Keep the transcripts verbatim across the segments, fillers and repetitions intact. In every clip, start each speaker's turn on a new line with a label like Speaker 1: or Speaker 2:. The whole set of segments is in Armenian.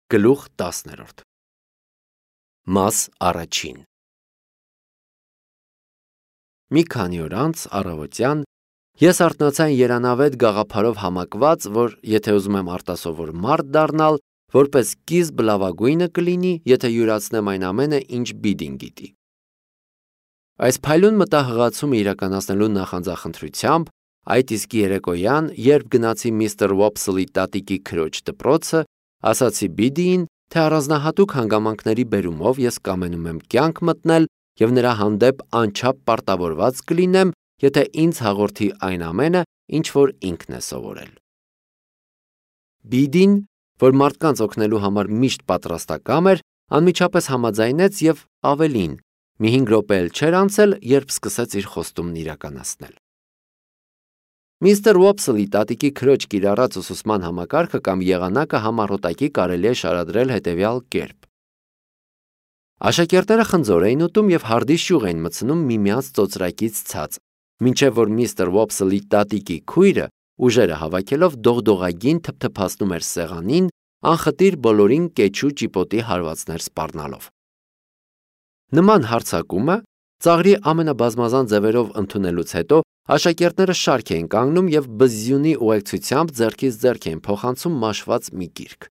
Speaker 1: Գլուխ տասներորդ Մաս առաջին Մի քանի օր անց առավոտյան ես արթնացա երանավետ գաղափարով համակված, որ եթե ուզում եմ արտասովոր մարդ դառնալ, որպես սկիզբ լավագույնը կլինի, եթե յուրացնեմ այն ամենը, ինչ Բիդին գիտի։ Այս փայլուն մտահղացումը իրականացնելու նախանձախնդրությամբ, այդ իսկ երեկոյան, երբ գնացի միստր Ուոփսլի տատիկի քրոջ դպրոցը, ասացի Բիդիին, թե առանձնահատուկ հանգամանքների բերումով ես կամենում եմ կյանք մտնել և նրա հանդեպ անչափ պարտավորված կլինեմ, եթե ինձ հաղորդի այն ամենը, ինչ որ ինքն է սովորել։ Բիդին, որ մարդկանց օգնելու համար միշտ պատրաստակամ էր, անմիջապես համաձայնեց և ավելին, մի հինգ րոպե էլ չէր անցել, երբ սկսեց իր խոստումն իրականացնել։ Միստր Ուոփսլի տատիկի քրոջ կիրառած ուսուցման համակարգը կամ եղանակը համառոտակի կարելի է շարադրել հետևյալ կերպ. Աշակերտները խնձոր էին ուտում և հարդի շյուղ էին մտցնում միմյանց ծոծրակից ցած, մինչև որ միստր Ուոփսլի տատիկի քույրը, ուժերը հավաքելով, դողդողագին թփթփացնում էր սեղանին, անխտիր բոլորին կեչու ճիպոտի հարվածներ սպառնալով։ Նման հարձակումը ծաղրի ամենաբազմազան ձևերով ընդունելուց հետո աշակերտները շարք էին կանգնում և բզզյունի ուղեկցությամբ ձեռքից ձեռք էին փոխանցում մաշված մի գիրք։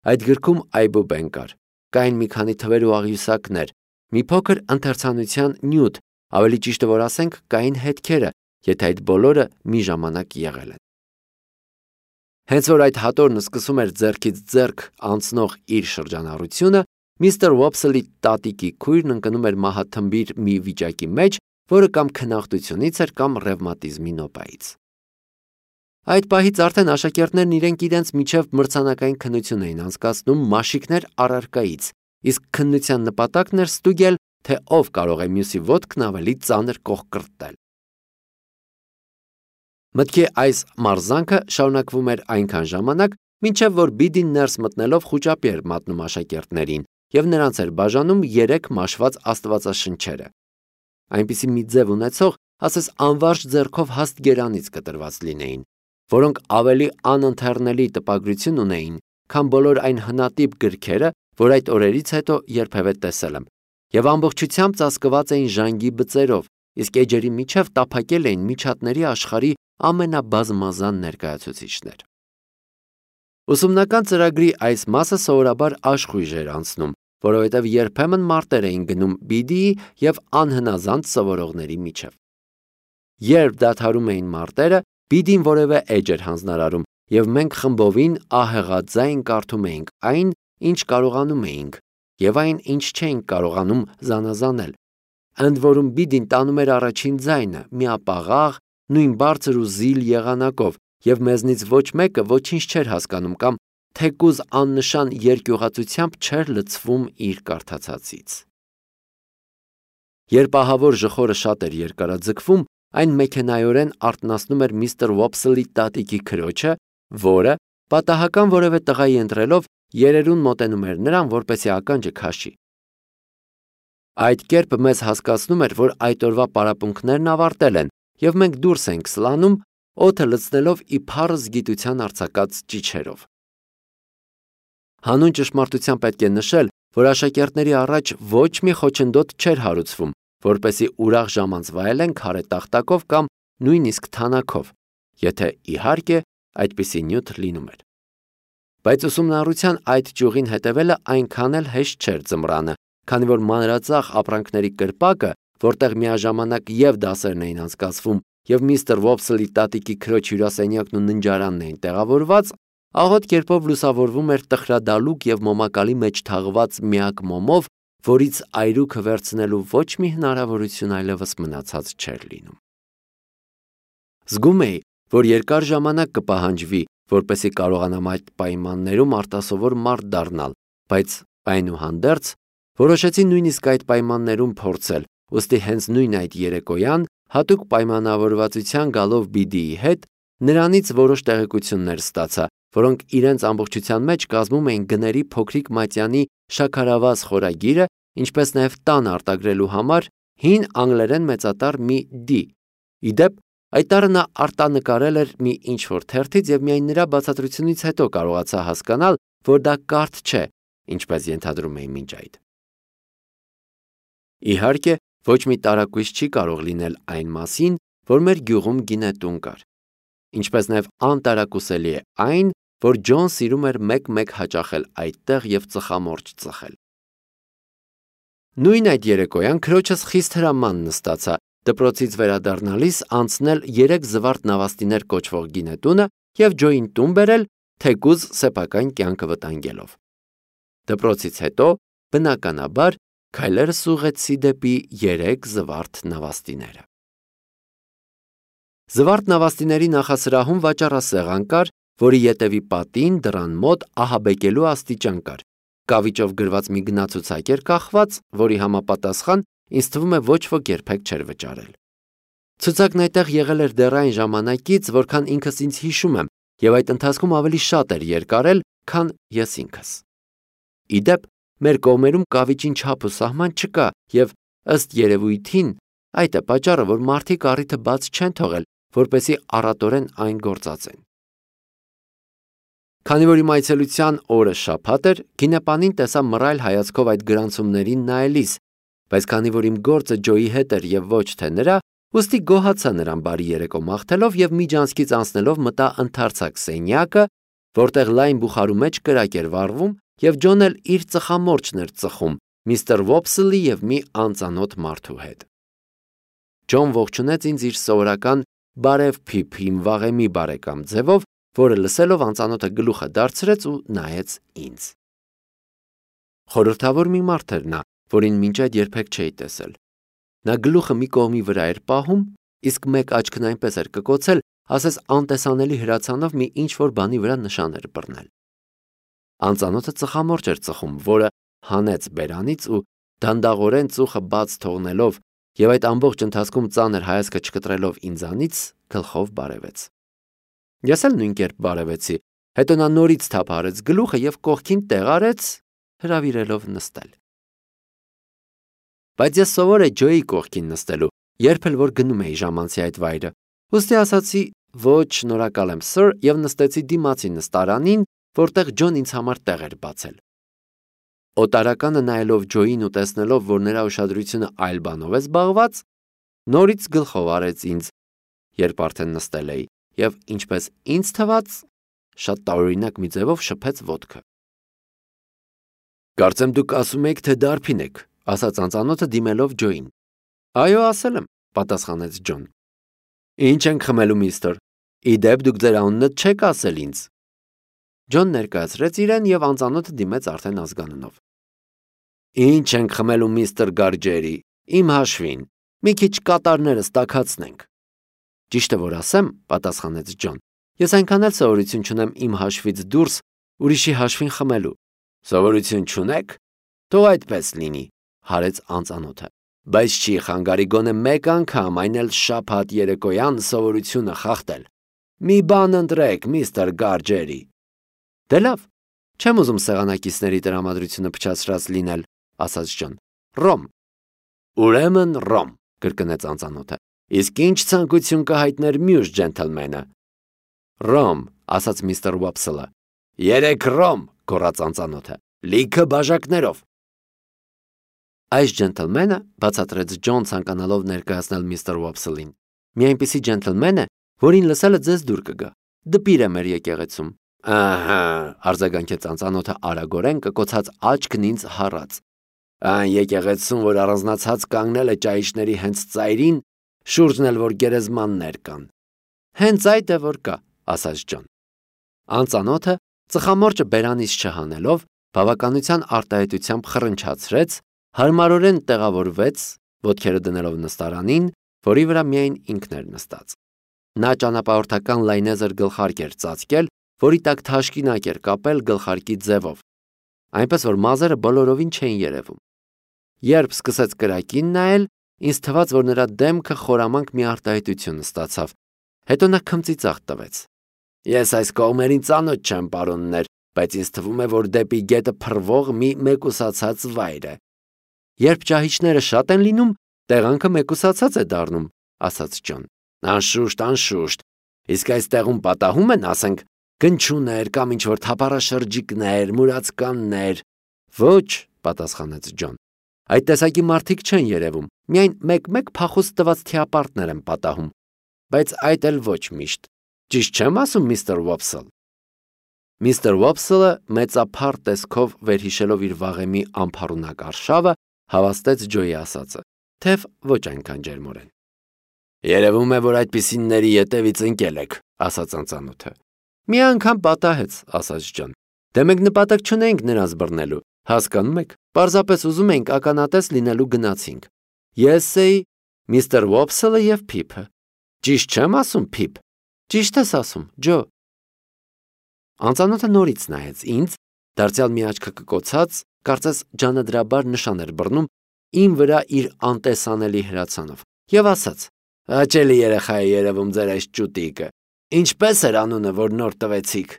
Speaker 1: Այդ գրքում այբուբեն կար, կային մի քանի թվեր ու աղյուսակներ, մի փոքր ընթերցանության նյութ, ավելի ճիշտը որ ասենք, կային հետքերը, եթե այդ բոլորը մի ժամանակ եղել են։ Հենց որ այդ հատորն սկսում էր ձեռքից ձեռք անցնող իր շրջանառությունը, միստր Ուոփսլի տատիկի քույրն ընկնում էր մահաթմբիր մի վիճակի մեջ, որը կամ քնախտությունից էր, կամ ռևմատիզմի նոպայից։ Այդ պահից արդեն աշակերտներն իրենք իրենց միջև մրցանակային քննություն էին անցկացնում մաշիկներ առարկայից, իսկ քննության նպատակն էր ստուգել, թե ով կարող է մյուսի ոտքն ավելի ծանր կողկրտել։ Մտքի այս մարզանքը շարունակվում էր այնքան ժամանակ, մինչև որ Բիդին ներս մտնելով խուճապի էր մատնում աշակերտներին և նրանց էր բաժանում երեք մաշված աստվածաշնչերը, այնպիսի մի ձև ունեցող, ասես անվարժ ձեռքով հաստ գերանից կտրված լինեին, որոնք ավելի անընթեռնելի տպագրություն ունեին, քան բոլոր այն հնատիպ գրքերը, որ այդ օրերից հետո երբևէ տեսել եմ, և ամբողջությամբ ծածկված էին ժանգի բծերով, իսկ էջերի միջև տափակել էին միջատների աշխարհի ամենաբազմազան ներկայացուցիչներ։ Ուսումնական ծրագրի այս մասը սովորաբար աշխույժ էր անցնում, որովհետև երբեմն մարտեր էին գնում Բիդիի և անհնազանդ սովորողների միջև։ Երբ դադարում էին մարտերը, Բիդին որևէ էջ էր հանձնարարում, և մենք խմբովին ահեղաձայն կարդում էինք այն, ինչ կարողանում էինք, և այն, ինչ չէինք կարողանում զանազանել։ Ընդ որում Բիդին տանում էր առաջին ձայնը, միապաղաղ, նույն բարձր ու զիլ եղանակով, և մեզնից ոչ մեկը ոչինչ չէր հասկանում կամ թեկուզ աննշան երկյուղածությամբ չէր լցվում իր կարդացածից։ Երբ ահավոր ժխորը շատ էր երկարաձգվում, այն մեքենայորեն արթնացնում էր միստր Ուոփսլի տատիկի քրոջը, որը, պատահական որևէ տղայի ընտրելով, երերուն մոտենում էր նրան, որպեսզի ականջը քաշի։ Այդ կերպ մեզ հասկացնում էր, որ այդ օրվա պարապմունքներն ավարտել են, և մենք դուրս ենք սլանում, օդը լցնելով ի փառս գիտության արձակած ճիչերով։ Հանուն ճշմարտության պետք է նշել, որ աշակերտների առաջ ոչ մի խոչընդոտ չէր հարուցվում, որպեսզի ուրախ ժամանց վայելեն քարե տախտակով կամ նույնիսկ թանաքով, եթե, իհարկե, այդպիսի նյութ լինում էր։ Բայց ուսումնառության այդ ճյուղին հետևելը այնքան էլ հեշտ չէր ձմռանը, քանի որ մանրածախ ապրանքների կրպակը, որտեղ միաժամանակ և դասերն էին անցկացվում, և միստր Ուոփսլի տատիկի քրոջ հյուրասենյակն ու ննջարանն էին տեղավորված, աղոտ կերպով լուսավորվում էր տխրադալուկ և մոմակալի մեջ թաղված միակ մոմով, որից այրուքը վերցնելու ոչ մի հնարավորություն այլևս մնացած չէր լինում։ Զգում էի, որ երկար ժամանակ կպահանջվի, որպեսզի կարողանամ այդ պայմաններում արտասովոր մարդ դառնալ, բայց այնուհանդերձ որոշեցի նույնիսկ այդ պայմաններում փորձել, ուստի հենց նույն այդ երեկոյան, հատուկ պայմանավորվածության գալով Բիդիի հետ, նրանից որոշ տեղեկություններ ստացա, որոնք իրենց ամբողջության մեջ կազմում էին գների փոքրիկ մատյանի շաքարավազ խորագիրը, ինչպես նաև տան արտագրելու համար հին անգլերեն մեծատառ մի D։ Ի դեպ, այդ տառը նա արտանկարել էր մի ինչ-որ թերթից և միայն նրա բացատրությունից հետո կարողացա հասկանալ, որ դա կարթ չէ, ինչպես ենթադրում էին մինչ այդ։ Իհարկե, ոչ մի տարակույս չի կարող լինել այն մասին, որ մեր գյուղում գինետուն կար։ Ինչպես նաև անտարակուսելի է այն, որ Ջոն սիրում էր մեկ-մեկ հաճախել այդտեղ և ծխամորճ ծխել։ Նույն այդ երեկոյան քրոջս խիստ հրաման նստացա դպրոցից վերադառնալիս անցնել երեք զվարթ նավաստիներ կոչվող գինետունը և Ջոյին տուն բերել, թեկուզ սեփական կյանքը վտանգելով։ Դպրոցից հետո, բնականաբար, քայլերս ուղղեցի դեպի երեք զվարթ նավաստիները։ Զվարթ նավաստիների նախասրահում վաճառասեղան կար, որի ետևի պատին դռան մոտ ահաբեկելու աստիճան կար, կավիճով գրված մի գնացուցակ էր կախված, որի համապատասխան ինձ թվում է ոչ ոք երբեք չէր վճարել։ Ցուցակն այդտեղ եղել էր դեռ այն ժամանակից, որքան ինքս ինձ հիշում եմ, և այդ ընթացքում ավելի շատ էր երկարել, քան ես ինքս։ Ի դեպ, մեր կողմերում կավիճին չափ ու սահման չկա, և ըստ երևույթին այդ է պատճառը, որ մարդիկ առիթը բաց չեն թողել, որպեսզի առատորեն այն գործածեն։ Քանի որ իմ այցելության օրը շաբաթ էր, գինեպանին տեսա մռայլ հայացքով այդ գրանցումներին նայելիս, բայց քանի որ իմ գործը Ջոյի հետ էր և ոչ թե նրա, ուստի գոհացա նրան բարի երեկո մաղթելով և միջանցքից անցնելով մտա ընդարձակ սենյակը, որտեղ լայն բուխարու մեջ կրակ էր վառվում, և Ջոնն էլ իր ծխամորճն էր ծխում միստր Ոփսլի և մի անծանոթ մարդու հետ։ Ջոն ողջունեց ինձ իր սովորական «բարև փիփ, իմ վաղեմի բարեկամ» ձևով, որը լսելով անծանոթը գլուխը դարձրեց ու նայեց ինձ։ Խորհրդավոր մի մարդ էր նա, որին մինչ այդ երբեք չէի տեսել։ Նա գլուխը մի կողմի վրա էր պահում, իսկ մեկ աչքն այնպես էր կկոցել, ասես անտեսանելի հրացանով մի ինչ-որ բանի վրա նշան էր բռնել։ Անծանոթը ծխամորճ էր ծխում, որը հանեց բերանից ու դանդաղորեն ծուխը բաց թողնելով և այդ ամբողջ ընթացքում ծանր հայացքը չկտրելով ինձանից, գլխով բարևեց։ Ես էլ նույն կերպ բարևեցի, հետո նա նորից թափ արեց գլուխը և կողքին տեղ արեց, հրավիրելով նստել։ Բայց ես սովոր էի Ջոյի կողքին նստելու, երբ էլ որ գնում էի ժամանցի այդ վայրը, ուստի ասացի ոչ շնորհակալ եմ, սըր, և նստեցի դիմացի նստարանին, որտեղ Ջոն ինձ համար տեղ էր բացել։ Օտարականը նայելով Ջոյին ու տեսնելով, որ նրա ուշադրությունը այլ բանով է զբաղված, նորից գլխով արեց ինձ, երբ արդեն նստել էի, և ինչպես ինձ թվաց, շատ տարօրինակ մի ձևով շփեց ոտքը։ Կարծեմ դուք ասում եք, թե դարբին եք, ասաց անծանոթը դիմելով Ջոյին։ Այո, ասել եմ, պատասխանեց Ջոն։ Ինչ ենք խմելու, միստր։ Ի դեպ դուք ձեր անունը չեք ասել ինձ։ Ջոն ներկայացրեց իրեն և անծանոթը դիմեց արդեն ազգանունով։ Ինչ ենք խմելու, միստր Գարջերի, իմ հաշվին, մի քիչ կատարներս տաքացնենք։ Ճիշտը որ ասեմ, պատասխանեց Ջոն, ես այնքան էլ սովորություն չունեմ իմ հաշվից դուրս ուրիշի հաշվին խմելու։ Սովորություն չունեք։ Թող այդպես լինի, հարեց անծանոթը, բայց չի խանգարի գոնե մեկ անգամ, այն էլ շաբաթ երեկոյան սովորությունը խախտել։ Մի բան ընտրեք, միստր Գարջերի։ Դե լավ, չեմ ուզում սեղանակիցների տրամադրությունը փչացրած լինել, ասաց Ջոն։ Ռոմ։ Ուրեմն ռոմ, կրկնեց անծանոթը։ Իսկ ինչ ցանկություն կհայտներ մյուս ջենթլմենը։ Ռոմ, ասաց միստր Ոփսլը։ Երեք ռոմ, գոռաց անծանոթը, լիքը բաժակներով։ Այս ջենթլմենը, բացատրեց Ջոն ցանկանալով ներկայացնել միստր Ոփսլին, մի այնպիսի ջենթլմեն է, որին լսելը ձեզ դուր կգա։ Դպիր է մեր եկեղեցում։ Ահա, արձագանքեց անծանոթը արագորեն կկոցած աչքն ինձ հառած։ Այն եկեղեցում, որ առանձնացած կանգնել է ճայիչների հենց ծայրին, շուրջն էլ որ գերեզմաններ կան։ Հենց այդ է որ կա, ասաց Ջոն։ Անծանոթը ծխամորճը բերանից չհանելով, բավականության արտահայտությամբ խռնչացրեց, հարմարորեն տեղավորվեց, ոտքերը դնելով նստարանին, որի վրա միայն ինքն էր նստած։ Նա ճանապարհորդական լայնեզր գլխարկ էր ծածկել, որի տակ թաշկինակ էր կապել գլխարկի ձևով, այնպես որ մազերը բոլորովին չէին երևում։ Երբ սկսեց կրակին նայել, ինձ թվաց, որ նրա դեմքը խորամանկ մի արտահայտություն ստացավ, հետո նա քմծիծաղ տվեց։ Ես այս կողմերին ծանոթ չեմ, պարոններ, բայց ինձ թվում է, որ դեպի գետը փռվող մի մեկուսացած վայր է։ Երբ ճահիճները շատ են լինում, տեղանքը մեկուսացած է դառնում, ասաց Ջոն։ Անշուշտ, անշուշտ, իսկ այս տեղում պատահում են, ասենք, Կնչուներ կամ ինչ-որ թափառաշրջիկներ, մուրացկաններ։ Ոչ, պատասխանեց Ջոն։ Այդ տեսակի մարդիկ չեն երևում, միայն մեկ-մեկ փախուստ տված թիապարտներ են պատահում, բայց այդ էլ ոչ միշտ։ Ճիշտ չեմ ասում, միստր Վոփսլ։ Միստր Վոփսլը մեծափառ տեսքով վերհիշելով իր վաղեմի ամփառունակ արշավը, հավաստեց Ջոյի ասածը, թեև ոչ այնքան ջերմորեն։ Երևում է, որ այդպիսինների ետևից ընկել եք, ասաց անծանոթը։ Մի անգամ պատահեց, ասաց Ջոն։ Դե մենք նպատակ չունեինք նրանց բռնելու, հասկանում եք, պարզապես ուզում էինք ականատես լինելու գնացինք։ Ես էի, միստր Վոփսլը և Փիփը։ Ճիշտ չեմ ասում, Փիփ։ Ճիշտ ես ասում, Ջո։ Անծանոթը նորից նայեց ինձ, դարձյալ մի աչքը կկոցած, կարծես ջանադրաբար նշան էր բռնում իմ վրա իր անտեսանելի հրացանով, և ասաց. Հաճելի երեխա է երևում ձեր այս ճուտիկը։ Ինչպե՞ս էր անունը, որ նոր տվեցիք։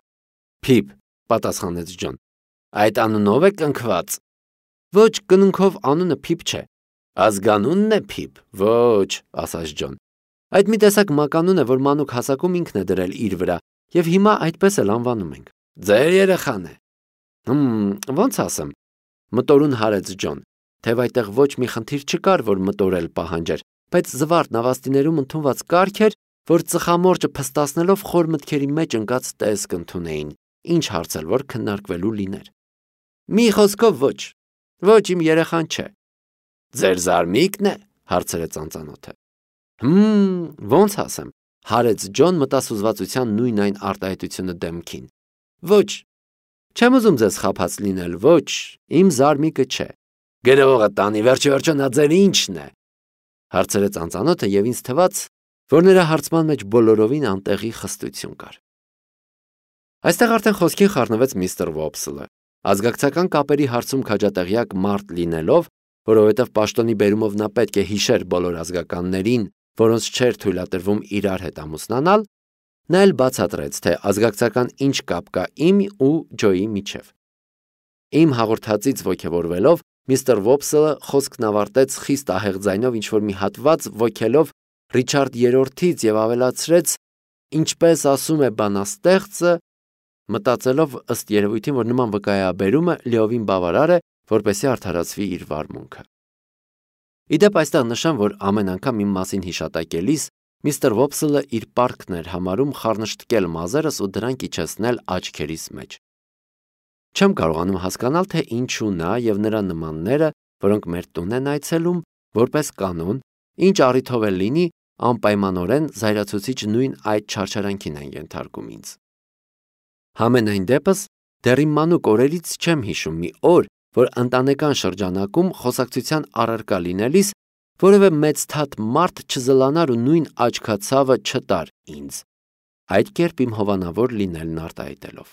Speaker 1: Փիփ, պատասխանեց Ջոն։ Այդ անունով է կնքված։ Ոչ, կնունքով անունը Փիփ չէ։ Ազգանունն է Փիփ։ Ոչ, ասաց Ջոն։ Այդ մի տեսակ մականուն է, որ մանուկ հասակում ինքն է դրել իր վրա, և հիմա այդպես էլ անվանում ենք։ Ձեր երեխան է։ Հմ, ոնց ասեմ։ Մտորուն հարեց Ջոն, թեև այդտեղ ոչ մի խնդիր չկար, որ մտորել պահանջեր, բայց զվարթ նավաստիներում ընդունված կարգ էր, որ ծխամորճը փստացնելով խոր մտքերի մեջ ընկած տեսք ընդունեին, ինչ հարց էլ որ քննարկվելու լիներ։ Մի խոսքով ոչ, ոչ իմ երեխան չէ։ Ձեր զարմիկն է, հարցրեց անծանոթը։ Հմ, ոնց ասեմ, հարեց Ջոն մտասուզվածության նույն այն արտահայտությունը դեմքին։ Ոչ, չեմ ուզում ձեզ խաբած լինել, ոչ, իմ զարմիկը չէ։ Գրողը տանի, վերջի վերջո նա ձեր ինչն է, հարցրեց անծանոթը և ինձ թվաց, որ նրա հարցման մեջ բոլորովին անտեղի խստություն կար։ Այստեղ արդեն խոսքին խառնվեց միստր Վոփսլը, ազգակցական կապերի հարցում քաջատեղյակ մարդ լինելով, որովհետև պաշտոնի բերումով նա պետք է հիշեր բոլոր ազգականներին, որոնց չէր թույլատրվում իրար հետ ամուսնանալ, նա էլ բացատրեց, թե ազգակցական ինչ կապ կա իմ ու Ջոյի միջև։ Իմ հաղորդածից ոգևորվելով, միստր Վոփսլը խոսքն ավարտեց խիստ ահեղ ձայնով ինչ-որ մի հատված ոգելով Ռիչարդ երրորդից և ավելացրեց, ինչպես ասում է բանաստեղծը, մտածելով ըստ երևույթին, որ նման վկայաբերումը լիովին բավարար է, որպեսզի արդարացվի իր վարմունքը։ Իդեպ այստեղ նշեմ, որ ամեն անգամ իմ մասին հիշատակելիս միստր Վոփսլը իր պարտքն էր համարում խառնշտկել մազերս ու դրանք իջեցնել աչքերիս մեջ։ Չեմ կարողանում հասկանալ, թե ինչու նա և նրա նմանները, որոնք մեր տուն են այցելում, որպես կանոն, ինչ առիթով էլ լինի, անպայմանորեն զայրացուցիչ նույն այդ չարչարանքին են ենթարկում ինձ։ Համենայն դեպս, դեռ իմ մանուկ օրերից չեմ հիշում մի օր, որ ընտանեկան շրջանակում խոսակցության առարկա լինելիս որևէ մեծ թաթ մարդ չզլանար ու նույն աչքացավը չտար ինձ, այդ կերպ իմ հովանավոր լինելն արտահայտելով։